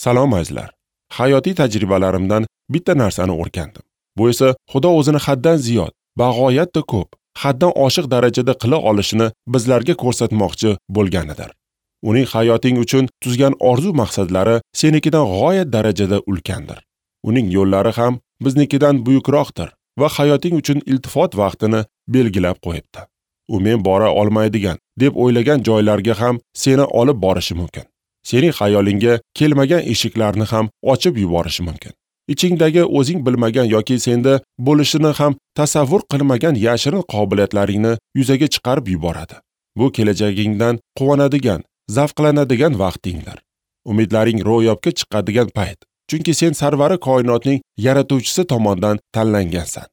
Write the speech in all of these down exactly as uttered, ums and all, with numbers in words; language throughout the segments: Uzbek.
Salom azizlar. Hayotiy tajribalarimdan bitta narsani o'rgandim. Bu esa Xudo o'zini haddan ziyod, bag'oyatda ko'p, haddan oshiq darajada qila olishini bizlarga ko'rsatmoqchi bo'lganidir. Uning hayoting uchun tuzgan orzu maqsadlari senikidan g'oyat darajada ulkandir. Uning yo'llari ham biznikidan buyukroqdir va hayoting uchun iltifot vaqtini belgilab qo'yibdi. U men bora olmaydigan deb o'ylagan joylarga ham seni olib borishi mumkin. Sening xayolingga kelmagan eshiklarni ham ochib yuborishi mumkin. Ichingdagi o'zing bilmagan yoki senda bo'lishini ham tasavvur qilmagan yashirin qobiliyatlaringni yuzaga chiqarib yuboradi. Bu kelajagingdan quvonadigan, zavqlanadigan vaqtingdir. Umidlaring ro'yobga chiqadigan payt. Chunki sen sarvari koinotning yaratuvchisi tomonidan tanlangansan.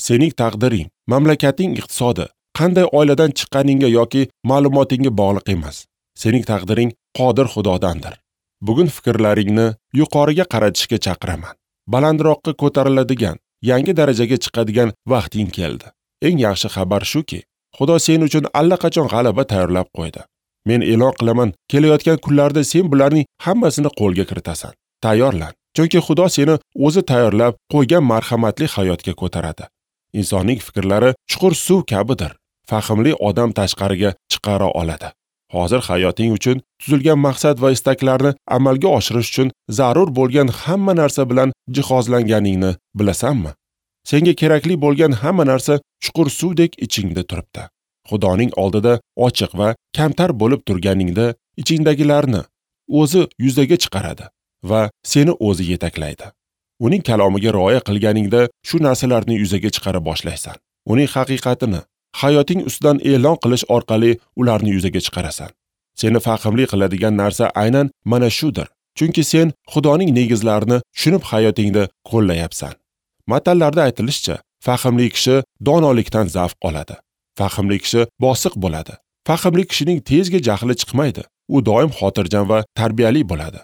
Sening taqdiring, mamlakating iqtisodi, qanday oiladan chiqqaningga yoki ma'lumotingga bog'liq emas. Sening taqdiring qodir Xudodandir. Bugun fikrlaringni yuqoriga qaratishga chaqiraman. Balandroqqa ko'tariladigan, yangi darajaga chiqadigan vaqting keldi. Eng yaxshi xabar shuki, Xudo sen uchun allaqachon g'alaba tayyorlab qo'ydi. Men e'lon qilaman, kelayotgan kunlarda sen bularning hammasini qo'lga kiritasan. Tayyorlan, chunki Xudo seni o'zi tayyorlab qo'ygan marhamatli hayotga ko'taradi. Insonning fikrlari chuqur suv kabidir. Fahmli odam tashqariga chiqara oladi. Hozir hayoting uchun tuzilgan maqsad va istaklarni amalga oshirish uchun zarur bo'lgan hamma narsa bilan jihozlanganingni bilasanmi? Senga kerakli bo'lgan hamma narsa chuqur suvdek ichingda turibdi. Xudoning oldida ochiq va kamtar bo'lib turganingda ichingdagilarni o'zi yuzaga chiqaradi va seni o'zi yetaklaydi. Uning kalomiga rioya qilganingda shu narsalarni yuzaga chiqara boshlaysan. Uning haqiqatini hayoting ustidan e'lon qilish orqali ularni yuzaga chiqarasan. Seni fahmli qiladigan narsa aynan mana shudir. Chunki sen Xudoning negizlarini tushunib hayotingda qo'llayapsan. Matallarda aytilishicha, fahmli kishi donolikdan zavq oladi. Fahmli kishi bosiq bo'ladi. Fahmli kishining tezga jahli chiqmaydi. U doim xotirjam va tarbiyali bo'ladi.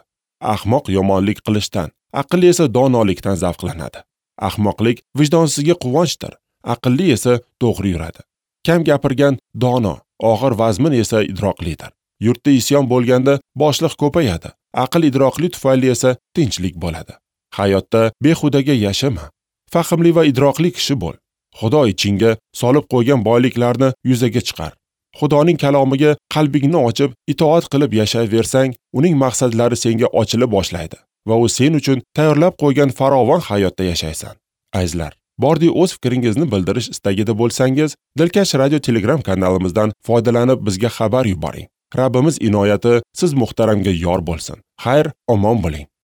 Ahmoq yomonlik qilishdan, aqlli esa donolikdan zavqlanadi. Ahmoqlik vijdonsizga quvonchdir, aqlli esa to'g'ri yuradi. Kam gapirgan dono, og'ir vazmin esa idroqlidir. Yurtda isyon bo'lganda boshliq ko'payadi, aql idroqli tufayli esa tinchlik bo'ladi. Hayotda behudaga yashama. Fahmli va idroqli kishi bo'l. Xudo ichingga solib qo'ygan boyliklarni yuzaga chiqar. Xudoning kalomiga qalbingni ochib, itoat qilib yashayversang, uning maqsadlari senga ochila boshlaydi va u sen uchun tayyorlab qo'ygan farovon hayotda yashaysan. Azizlar, bordi o'z fikringizni bildirish istagida bo'lsangiz, Dilkash Radio Telegram kanalimizdan foydalanib bizga xabar yuboring. Rabbimiz inoyati siz muhtaramga yor bo'lsin. Xayr, omon bo'ling.